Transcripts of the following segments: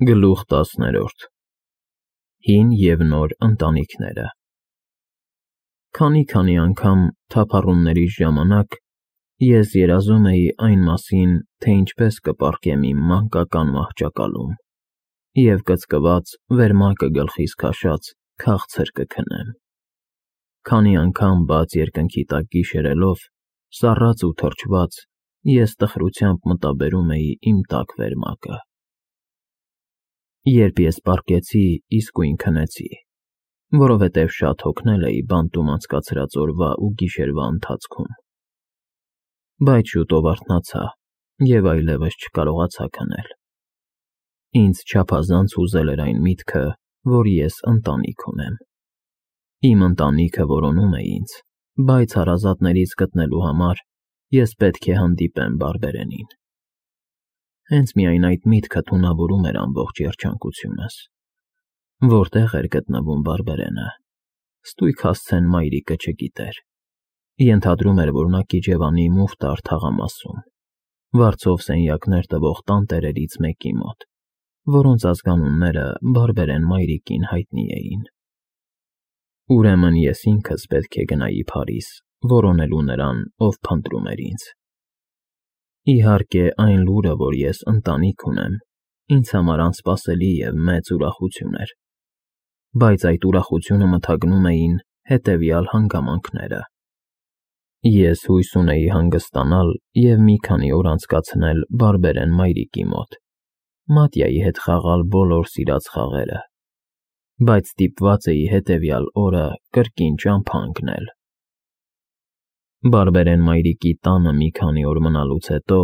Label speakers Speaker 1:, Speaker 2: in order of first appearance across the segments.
Speaker 1: Գլուխ 10 Հին և նոր ընտանիքները Քանի անգամ թափառումներիս ժամանակ ես երազում էի այն մասին, թե ինչպես կպառկեմ իմ մանկական մահճակալում և կծկված, վերմակը գլխիս քաշած, քաղցր կքնեմ, քանի անգամ բաց երկնքի տակ գիշերելով, սառած ու թրջված, ես տխրությամբ մտաբերում էի իմ տաք վերմակը։ Երբ ես պառկեցի, իսկույն քնեցի, որովհետև շատ հոգնել էի բանտում անցկացրած օրվա ու գիշերվա ընթացքում, բայց շուտով արթնացա և այլևս չկարողացա քնել։ Ինձ չափազանց հուզել էր այն միտքը, որ ես ընտանիք ունեմ։ Իմ ընտանիքը որոնում է ինձ, բայց հարազատներից գտնելու համար ես պետք է հանդիպեմ բարբերենին։ Հենց միայն այդ միտքը թունավորում էր ամբողջ երջանկությունս։ Որտե՞ղ էր գտնվում բարբերենը, ստույգ հասցեն մայրիկը չգիտեր։ Ենթադրում էր, որ նա Կիջևանի մուֆտար թաղամասում, վարձով սենյակներ տվող տանտերերից մեկի մոտ, որոնց ազգանունները բարբերեն մայրիկին հայտնի էին։ Ուրեմն ես ինքս պետք է գնայի Փարիզ, որոնելու նրան, ով փնտրում էր ինձ։ Իհարկե, այն լուրը, որ ես ընտանիք ունեմ, ինձ համար անսպասելի և մեծ ուրախություն էր, բայց այդ ուրախությունը մթագնում էին հետևյալ հանգամանքները. Ես հույս ունեի հանգստանալ և մի քանի օր անցկացնել բարբերեն մայրիկի մոտ, Մատյայի հետ խաղալ բոլոր սիրած խաղերը, բայց ստիպված էի հետևյալ օրը կրկին ճամփա ընկնել։ Բարբերեն մայրիկի տանը մի քանի օր մնալուց հետո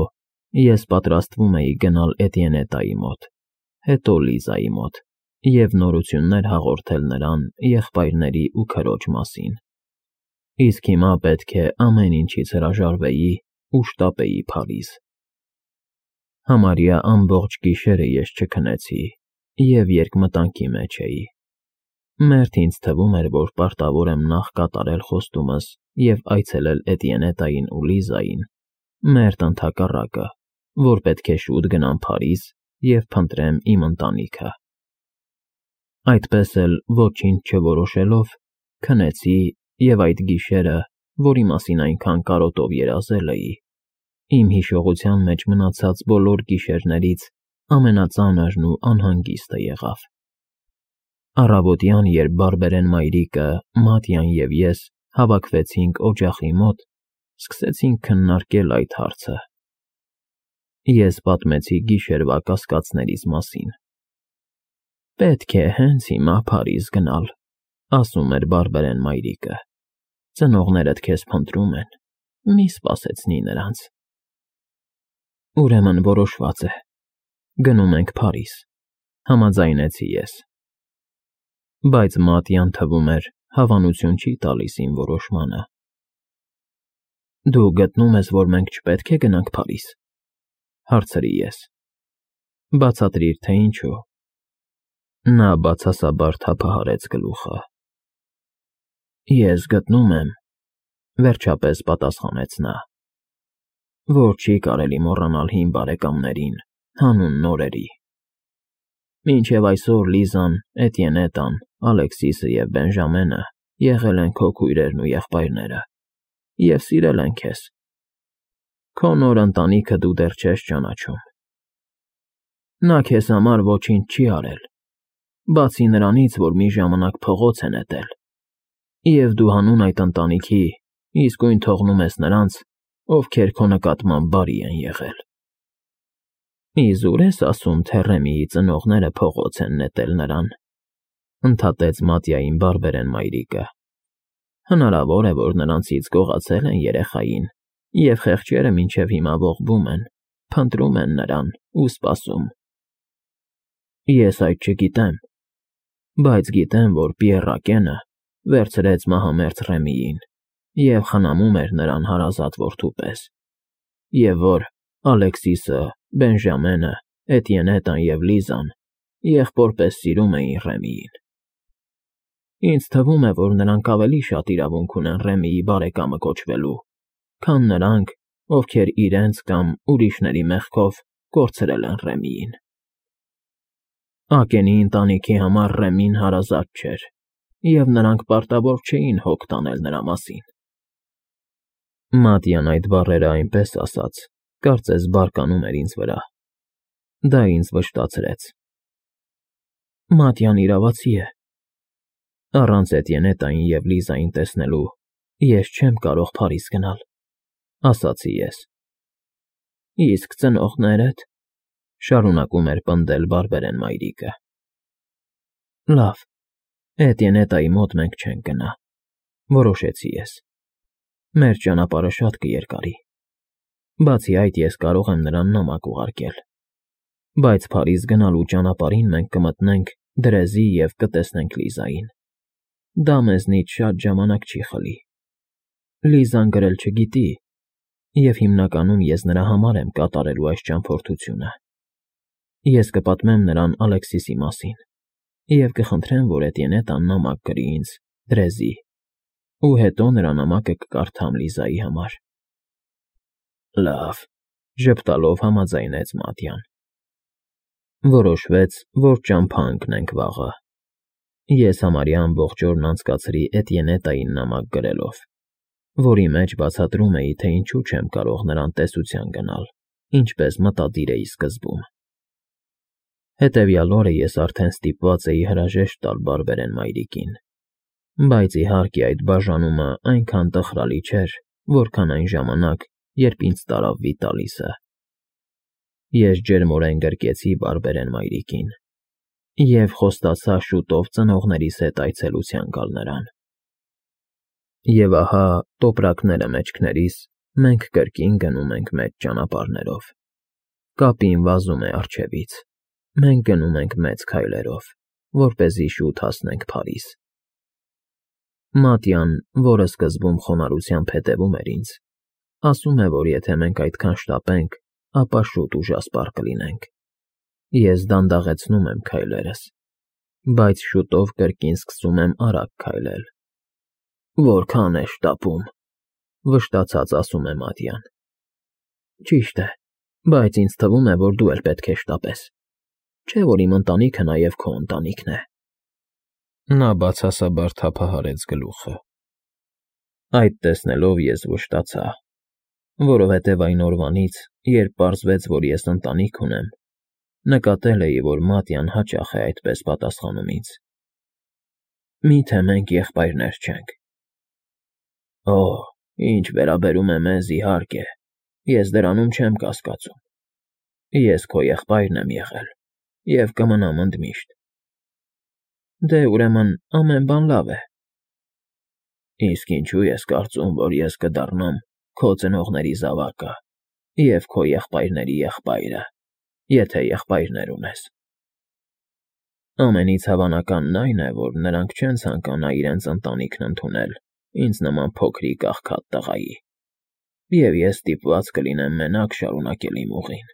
Speaker 1: ես պատրաստվում էի գնալ Էտիենետայի մոտ, հետո Լիզայի մոտ և նորություններ հաղորդել նրան եղբայրների ու քրոջ մասին, իսկ հիմա պետք է ամեն ինչից հրաժարվեի ու շտապեի Փարիզ։ Համարյա ամբողջ գիշերը ես չքնեցի և երկմտանքի մեջ էի։ Մերթ ինձ թվում էր, որ պարտավոր եմ նախ կատարել խոստումս և այցելել Էտիենետային ու Լիզային, մերթ ընդհակառակը, որ պետք է շուտ գնամ Փարիզ և փնտրեմ իմ ընտանիքը։ Այդպես էլ, ոչինչ չորոշելով, քնեցի և այդ գիշերը, որի մասին այնքան կարոտով երազել էի, իմ հիշողության մեջ մնացած բոլոր գիշերներից ամենածանրն ու անհանգիստը եղավ։ Առավոտյան, երբ բարբերեն մայրիկը, Մատյան և ես հավաքվեցինք օջախի մոտ, սկսեցինք քննարկել այդ հարցը։ Ես պատմեցի գիշերվա կասկածներիս մասին։ Պետք է հենց հիմա Փարիզ գնալ, ասում էր բարբերեն մայրիկը, ծնողներդ քեզ փնտրում են, մի սպասեցնի նրանց։ Ուրեմն որոշված է, գնում ենք Փարիզ, համաձայնեցի ես։ Բայց Մատյան, թվում էր, հավանություն չի տալիս իմ որոշմանը։ Դու գտնում ես, որ մենք չպետք է գնանք Փարիզ, հարցրի ես։ Բացատրիր, թե ինչու։ Նա բացասաբար թափահարեց գլուխը։ Ես գտնում եմ, վերջապես պատասխանեց նա, որ չի կարելի մոռանալ հին բարեկամներին, հանուն նորերի։ Մինչև այսօր Լիզան, Էտիենետան, Ալեքսիսը և Բենժամենը եղել են քո քույրերն ու եղբայրները և սիրել են քեզ։ Քո նոր ընտանիքը դու դեռ չես ճանաչում։ Նա քեզ համար ոչինչ չի արել, բացի նրանից, որ մի ժամանակ փողոց է նետել, և դու հանուն այդ ընտանիքի իսկույն թողնում ես նրանց, ովքեր քո նկատմամբ բարի են եղել։ Իզուր ես ասում, թե Ռեմիի ծնողները փողոց են նետել նրան, ընդհատեց Մատյային բարբերեն մայրիկը։ Հնարավոր է, որ նրանցից գողացել են երեխային, և խեղճերը մինչև հիմա ողբում են, փնտրում են նրան ու սպասում։ Ես այդ չգիտեմ, բայց գիտեմ, որ Պիեռակենը վերցրեց մահամերձ Ռեմիին և խնամում էր նրան հարազատ որդու պես, և որ Ալեքսիսը, Բենժամենը, Էտիենետան և Լիզան եղբոր պես սիրում էին Ռեմիին։ Ինձ թվում է, որ նրանք ավելի շատ իրավունք ունեն Ռեմիի բարեկամը կոչվելու, քան նրանք, ովքեր իրենց կամ ուրիշների մեղքով կորցրել են Ռեմիին։ Ակենի ընտանիքի համար Ռեմին հարազատ չէր, և նրանք պարտավոր չէին հոգ տանել նրա մասին։ Մատյան այդ բառերը այնպես ասաց, կարծես բարկանում էր ինձ վրա։ Դա ինձ վշտացրեց։ Մատյան իրավացի է։ Առանց Էտիենետային և Լիզային տեսնելու ես չեմ կարող Փարիզ գնալ, ասացի ես։ Իսկ ծնողներդ, շարունակում էր պնդել բարբերեն մայրիկը։ Լավ, Էտիենետայի մոտ մենք չենք գնա, որոշեցի ես։ Մեր ճանապարհը շատ կերկարի։ Բացի այդ, ես կարող եմ նրան նամակ ուղարկել։ Բայց Փարիզ գնալու ճանապարհին մենք կմտնենք Դրեզի և կտեսնենք Լիզային։ Դա մեզնից շատ ժամանակ չի խլի։ Լիզան գրել չգիտի, և հիմնականում ես նրա համար եմ կատարելու այս ճամփորդությունը։ Ես կպատմեմ նրան Ալեքսիսի մասին և կխնդրեմ, որ Էտիենետան նամակ գրի ինձ Դրեզի, ու հետո նրա նամակը կկարդամ Լիզայի համար։ Լավ, ժպտալով համաձայնեց Մատյան։ Որոշվեց, որ ճամփա ընկնենք վաղը։ Ես համարյա ամբողջ օրն անցկացրի Էտիենետային նամակ գրելով, որի մեջ բացատրում էի, թե ինչու չեմ կարող նրան տեսության գնալ, ինչպես մտադիր էի սկզբում։ Հետևյալ օրը ես արդեն ստիպված էի հրաժեշտ տալ բարբերեն մայրիկին, բայց իհարկե այդ բաժանումը այնքան տխրալի չէր, որքան այն ժամանակ, երբ ինձ տարավ Վիտալիսը։ Ես ջերմորեն գրկեցի բարբերեն մայրիկին և խոստացա շուտով ծնողներիս հետ այցելության գալ նրան։ Եվ ահա, տոպրակները մեջքներիս, մենք կրկին գնում ենք մեծ ճանապարհներով։ Կապին վազում է առջևից։ Մենք գնում ենք մեծ քայլերով, որպեսզի շուտ հասնենք Փարիզ։ Մատյան, որը սկզբում խոնարհությամբ հետևում էր ինձ, ասում է, որ եթե մենք այդքան շտապենք, ապա շուտ ուժասպառ կլինենք։ Ես դանդաղեցնում եմ քայլերս, բայց շուտով կրկին սկսում եմ արագ քայլել։ Որքան է շտապում, վշտացած ասում է Մատյան։ Ճիշտ է, բայց ինձ թվում է, որ դու էլ պետք է շտապես, չէ՞ որ իմ ընտանիքը նաև քո ընտանիքն է։ Նա բացասաբար թափահարեց գլուխը։ Այդ տեսնելով ես վշտացա, որովհետև այն օրվանից, երբ պարզվեց, որ ես ընտանիք ունեմ, նկատել էի, որ Մատյան հաճախ է այդպես պատասխանում ինձ։ Մի՞թե մենք եղբայրներ չենք։ Օ, ինչ վերաբերում է մեզ, իհարկե, ես դրանում չեմ կասկածում։ Ես քո եղբայրն եմ եղել և կմնամ ընդմիշտ։ Դե, ուրեմն, ամեն բան լավ է։ Իսկ ինչու ես կարծում, որ ես կդառնամ քո ծնողների զավակը և քո եղբայրների եղբայրը, եթե եղբայրներ ունես։ Ամենից հավանականն այն է, որ նրանք չեն ցանկանա իրենց ընտանիքն ընդունել ինձ նման փոքրիկ աղքատ տղայի, և ես ստիպված կլինեմ մենակ շարունակել իմ ուղին։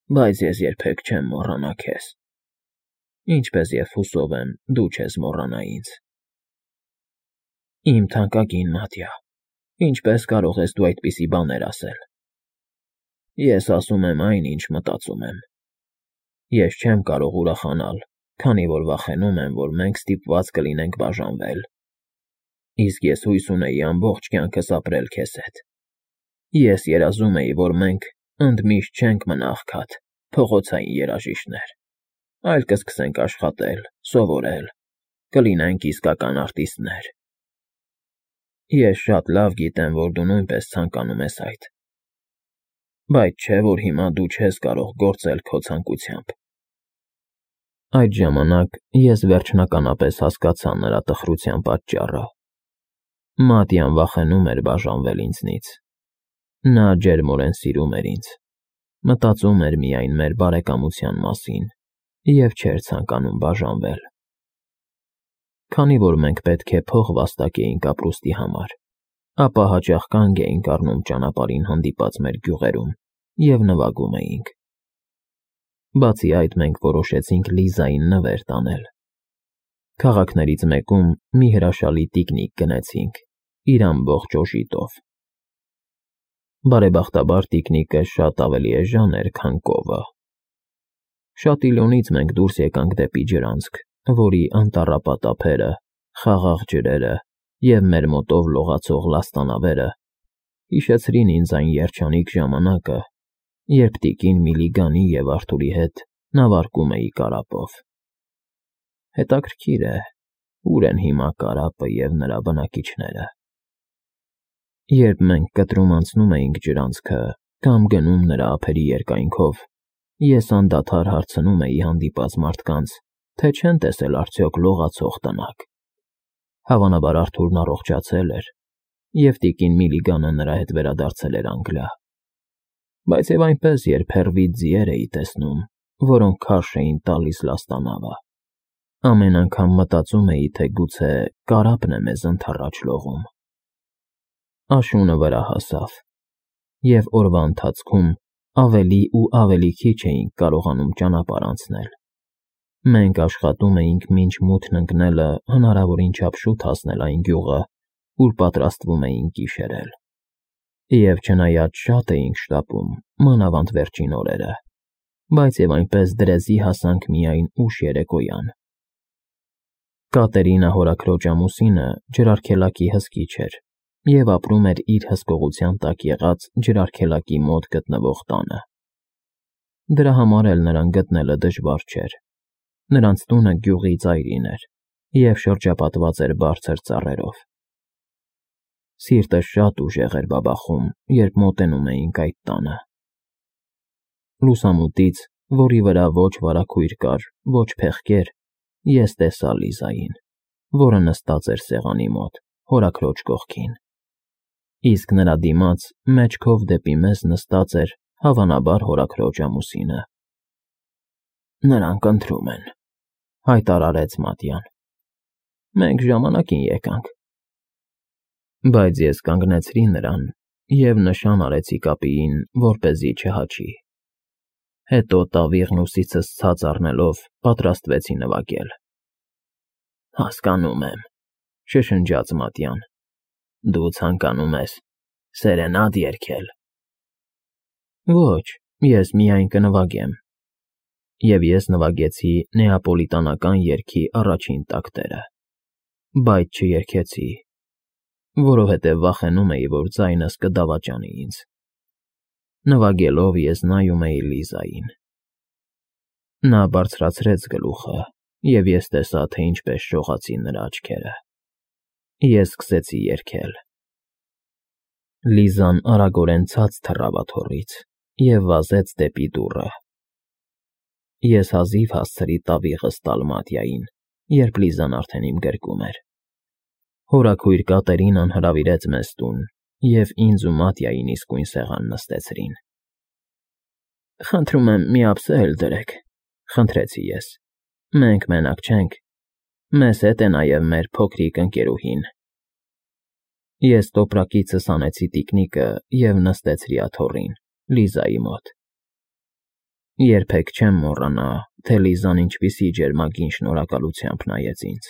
Speaker 1: Բայց ես երբեք չեմ մոռանա քեզ, ինչպես և հուսով եմ դու չես մոռանա ինձ։ Իմ թանկագին Մատյա, ինչպես կարող ես դու այդպիսի բաներ ասել։ Ես ասում եմ այն, ինչ մտածում եմ։ Ես չեմ կարող ուրախանալ, քանի որ վախենում եմ, որ մենք ստիպված կլինենք բաժանվել։ Իսկ ես հույս ունեի ամբողջ կյանքս ապրել քեզ հետ։ Ես երազում էի, որ մենք ընդմիշտ չենք մնա աղքատ, փողոցային երաժիշտներ, այլ կսկսենք աշխատել, սովորել, կլինենք իսկական արտիստներ։ Ես շատ լավ գիտեմ, որ դու նույնպես ցանկանում ես այդ։ Բայց չէ՞ որ հիմա դու չես կարող գործել քո ցանկությամբ։ Այդ ժամանակ ես վերջնականապես հասկացա նրա տխրության պատճառը։ Մատյան վախենում էր բաժանվել ինձնից։ Նա ջերմորեն սիրում էր ինձ, մտածում էր միայն մեր բարեկամության մասին և չէր ցանկանում բաժանվել։ Քանի որ մենք պետք է փող վաստակեինք ապրուստի համար, ապա հաճախ կանգ էինք առնում ճանապարհին հանդիպած մեր գյուղերում և նվագում էինք։ Բացի այդ, մենք որոշեցինք Լիզային նվեր տանել։ Քաղաքներից մեկում մի հրաշալի տիկնիկ գնեցինք, իր ամբողջ օժիտով։ Բարեբախտաբար տիկնիկը շատ ավելի էժան էր, քան կովը։ Շատիլյոնից մենք դուրս եկանք դեպի ջրանցք, որի անտառապատ ափերը, խաղաղ ջրերը և մեր մոտով լողացող լաստանավերը հիշեցրին ինձ այն երջանիկ ժամանակը, երբ տիկին Միլիգանի և Արթուրի հետ նավարկում էի կարապով։ Հետաքրքիր է, ուր են հիմա կարապը և նրա բնակիչները։ Երբ մենք կտրում անցնում էինք ջրանցքը կամ գնում նրա ափերի երկայնքով, ես անդադար հարցնում էի հանդիպած մարդկանց, թե չեն տեսել արդյոք լողացող տնակ։ Հավանաբար Արթուրն առողջացել էր, և տիկին Միլիգանը նրա հետ վերադարձել էր Անգլիա։ Բայց և այնպես երբևէ ձիեր էի տեսնում, որոնք քարշ էին տալիս լաստանավը։ Ամեն անգամ մտածում էի, թե գուցե կարապն է մեզ ընդառաջ լողում։ Աշունը վրա հասավ, և օրվա ընթացքում ավելի ու ավելի քիչ էինք կարողանում ճանապարհ անցնել։ Մենք աշխատում էինք մինչ մութն ընկնելը հնարավորին չափ շուտ հասնել այն գյուղը, ուր պատրաստվում էինք գիշերել։ Եվ չնայած շատ էինք շտապում, մանավանդ վերջին օրերը, բայց և այնպես դրեզի հասանք միայն ուշ երեկոյան։ Կատերինա հորաքրոջ ամուսինը ջրարգելակի հսկիչ էր և ապրում էր իր հսկողության տակ եղած ջրարգելակի մոտ գտնվող տանը։ Դրա համար էլ նրան գտնելը դժվար չէր։ Նրանց տունը գյուղի ծայրին էր և շրջապատված էր բարձր ծառերով։ Սիրտս շատ ուժեղ էր բաբախում, երբ մոտենում էինք այդ տանը։ Լուսամուտից, որի վրա ոչ վարագույր կար, ոչ փեղկեր, ես տեսա Լիզային, որը նստած էր սեղանի մոտ, հորաքրոջ կողքին։ Իսկ նրա դիմաց, մեջքով դեպի մեզ նստած էր, հավանաբար, հորաքրոջ ամուսինը։ «Նրանք ընթրում են», հայտարարեց Մատյան։ «Մենք ժամանակին եկանք»։ Բայց ես կանգնեցրի նրան և նշան արեցի կապիին, որպեսզի չհաչի։ Հետո տավիղն ուսիցս ցած առնելով պատրաստվեցի նվագել։ «Հասկանում եմ», շշնջաց Մատյան։ «Դու ցանկանում ես սերենադ երգել»։ Ոչ, ես միայն կնվագեմ։ Եվ ես նվագեցի նեապոլիտանական երգի առաջին տակտերը, բայց չերգեցի, որովհետև վախենում էի, որ ձայնս կդավաճանի ինձ։ Նվագելով ես նայում էի Լիզային։ Նա բարձրացրեց գլուխը, և ես տեսա, թե ինչպես շողացին նրա աչքերը։ Ես սկսեցի երգել։ Լիզան արագորեն ցած թռավ աթոռից և վազեց դեպի դուռը։ Ես հազիվ հասցրի տավիղս տալ Մատյային, երբ Լիզան արդեն իմ գրկում էր։ Հորաքույր Կատերինան հրավիրեց մեզ տուն, և ինձ ու Մատյային իսկույն սեղան նստեցրին։ «Խնդրում եմ, մի ափսե էլ դրեք», խնդրեցի ես։ «Մենք մենակ չենք, մեզ հետ է նաև մեր փոքրիկ ընկերուհին»։ Ես տոպրակիցս հանեցի տիկնիկը և նստեցրի աթոռին, Լիզայի մոտ։ Երբեք չեմ մոռանա, թե Լիզան ինչպիսի ջերմագին շնորհակալությամբ նայեց ինձ։